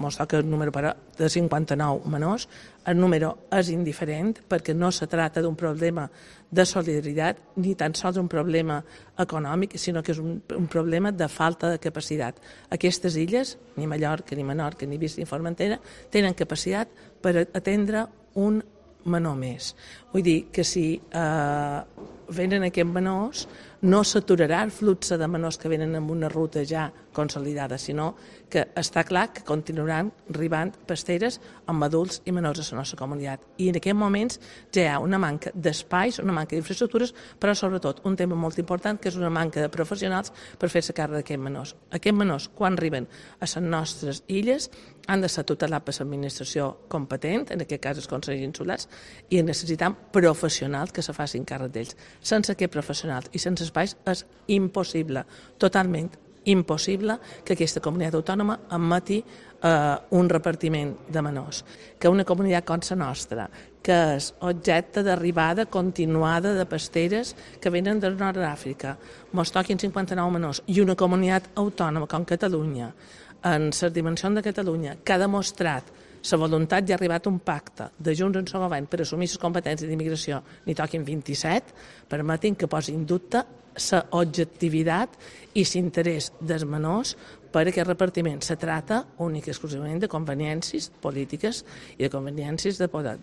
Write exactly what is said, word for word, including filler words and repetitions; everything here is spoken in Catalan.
ens toca el número però, de cinquanta-nou menors. El número és indiferent perquè no se tracta d'un problema de solidaritat ni tan sols un problema econòmic, sinó que és un, un problema de falta de capacitat. Aquestes illes, ni Mallorca, ni Menorca, ni Ibiza, ni Formentera, tenen capacitat per atendre un menor més. Vull dir que si eh, venen aquests menors, no s'aturarà el flux de menors que venen amb una ruta ja consolidada, sinó que està clar que continuaran arribant pasteres amb adults i menors a la nostra comunitat. I en aquests moments ja hi ha una manca d'espais, una manca d'infraestructures, però sobretot un tema molt important que és una manca de professionals per fer-se càrrec d'aquests menors. Aquests menors, quan arriben a les nostres illes, han de ser tutelats per l'administració competent, en aquest cas els consells insulars, i necessitem professionals que se facin càrrec d'ells. Sense aquests professionals i sense espais és impossible, totalment impossible que aquesta comunitat autònoma admeti eh, un repartiment de menors. Que una comunitat com la nostra, que és objecte d'arribada continuada de pasteres que venen del nord d'Àfrica, ens toquin cinquanta-nou menors, i una comunitat autònoma com Catalunya, en les dimensions de Catalunya, que ha demostrat la voluntat i ha arribat a un pacte de Junts en el govern per assumir les competències d'immigració, n'hi toquin vint-i-set, permetin que posin en dubte la objectivitat i l'interès dels menors per aquest repartiment. Se trata únic i exclusivament de conveniències polítiques i de conveniències de poder.